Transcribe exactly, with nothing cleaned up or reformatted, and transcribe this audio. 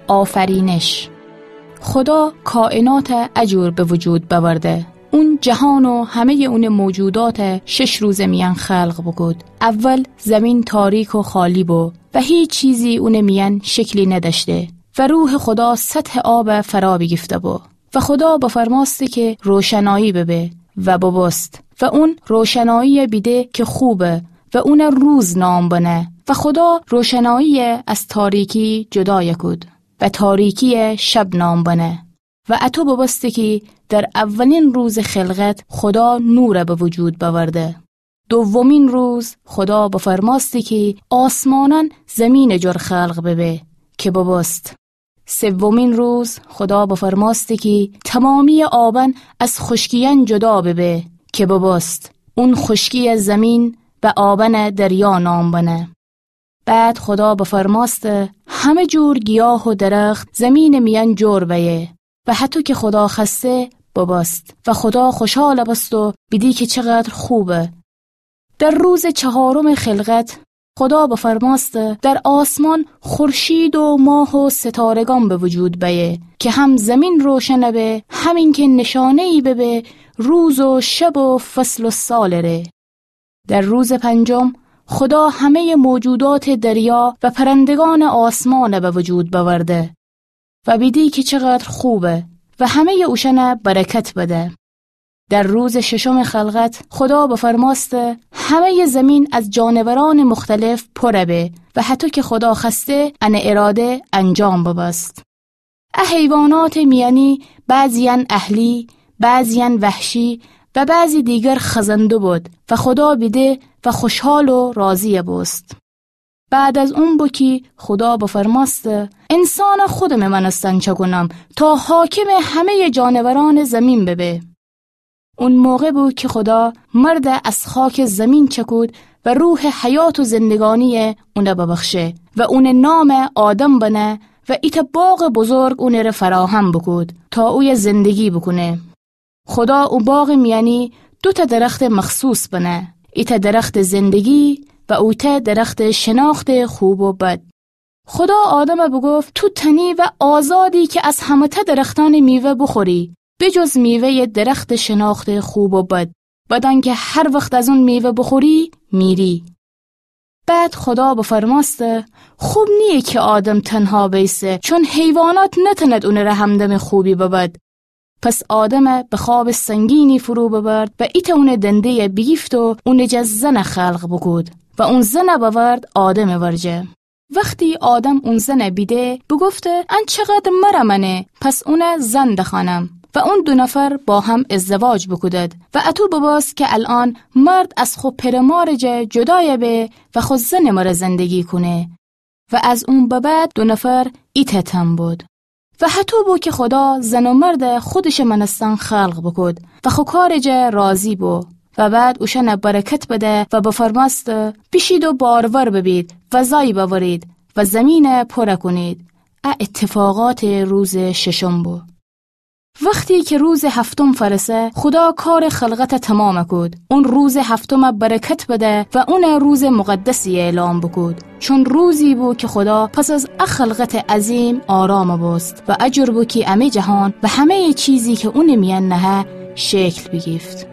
آفرینش. خودا کائنات ا جور به وجود بأورده. اون جهان و همه‌یٚ اونٚ موجودات شش روزٚ میأن خلق بوکود. اول زمین تاریک و خالی بو و هیچ چیزی اونٚ میأن شکلی ندأشته و روحٚ خودا سطحٚ آب فرا بیگیفته‌بو. و خودا بفرمأسته که روشنایی ببه و ببوست. و اون روشنایی بیده که خوبه و اون روز نام بنه. و خودا روشنایی از تاریکی جدای کود و تاریکی شب نام بنه. و اطو ببوسته کی در اولین روزٚ خلقت خودا نور به وجود بأورده. دومین روز خودا بفرمأسته کی آسمانأن زمینٚ جور خلق ببه، که ببوست. سومین روز خودا بفرمأسته کی تمامی آبأن از خوشکیأن جدا ببه، که ببوست. اون خوشکی زمین و آبأن دریا نام بنه. بعد خودا بفرمأسته همه جور گیاه و درخت زمینٚ میأن جور بأیه و هطو که خودا خوأسته ببوست. و خودا خوشحال بوست و بیدی که چقدر خوبه. در روزٚ چهارمٚ خلقت خودا بفرمأسته در آسمان خورشید و ماه و ستارگان به وجود بأیه که هم زمین روشن به، هم اینکه نشانه‌یی ببه روز و شب و فصل و سالٚ ره. در روزٚ پنجم خودا همه‌یٚ موجوداتٚ دریا و پرندگانٚ آسمان به وجود بأورده و بیدی که چقدر خوبه و همه‌یٚ اوشأن برکت بده. در روزٚ ششمٚ خلقت خودا بفرمأسته همه‌یٚ زمین از جانورانٚ مختلف پر به و هطو که خودا خوأسته ان اراده انجام ببوست. ا حیواناتٚ میأنی بعضی‌یأن اهلی، بعضی‌یأن وحشی و بعضی دیگر خزنده بود و خودا بیده و خوشحال و راضی بوست. بعد از اون بو کی خودا بفرمأسته انسان خودمٚ مأنستن چأکونم تا حاکمٚ همه‌یٚ جانورانٚ زمین ببه. اون موقع بو کی خودا مرد از خاکٚ زمین چأکود و روحٚ حیات و زندگانی اون ببخشه و اونٚ نام آدم بنه و ایتأ باغٚ بزرگ اونٚ ره فراهم بوکود تا اویه زندگی بوکونه. خودا او باغٚ میأنی دوتأ درختٚ مخصوص بنه، ایتأ درختٚ زندگی و اویتأ درختٚ شناختٚ خوب و بد. خودا آدم بوگفت تو تنی و آزادی که از همه‌تأ درختأنٚ میوه بوخوری، به جز میوه‌یٚ درختٚ شناختٚ خوب و بد، بدأنکه هر وخت از اون میوه بوخوری، میری. بعد خودا بفرمأسته خوب نییه که آدم تنها بیسه، چون حیوانات نتأند اونٚ ره همدمٚ خوبی ببد. پس آدم به خوابٚ سنگینی فرو ببرد و ایتأ اونٚ دنده‌ی بیگیفت و اونٚ جا زن خلق بوکود و اون زن بأورد آدمٚ ورجه. وختی آدم اون زن بیده، بوگفته ان چقدر مره مأنه، پس اون زن دخوأنم. و اون دو نفر با هم ازدواج بوکودد و اطو ببوست که الأن مرد از خو پئر و مارٚ جا جدای به و خو زنٚ مره زندگی کونه. و از اون به بعد دو نفر ایتأ تن بود. و هطو بو که خودا زن و مرد خودشٚ مأنستن خلق بوکود و خو کارٚ جا راضی بو. و بعد اوشأن برکت بده و بفرمأسته بیشید و بارور ببید و زای بأورید و زمین پر کونید. ا اتفاقاتٚ روزٚ ششم بو. وختی که روزٚ هفتم فأرسه، خودا کارٚ خلقت تمام کود. اون روزٚ هفتم برکت بده و اون روزٚ مقدسی اعلام بوکود، چون روزی بو که خودا پس از ا خلقتٚ عظیم آرام بوست و ا جور بو که امه جهان و همه‌یٚ چیزی که اونٚ میأن نهه شکل بیگیفت.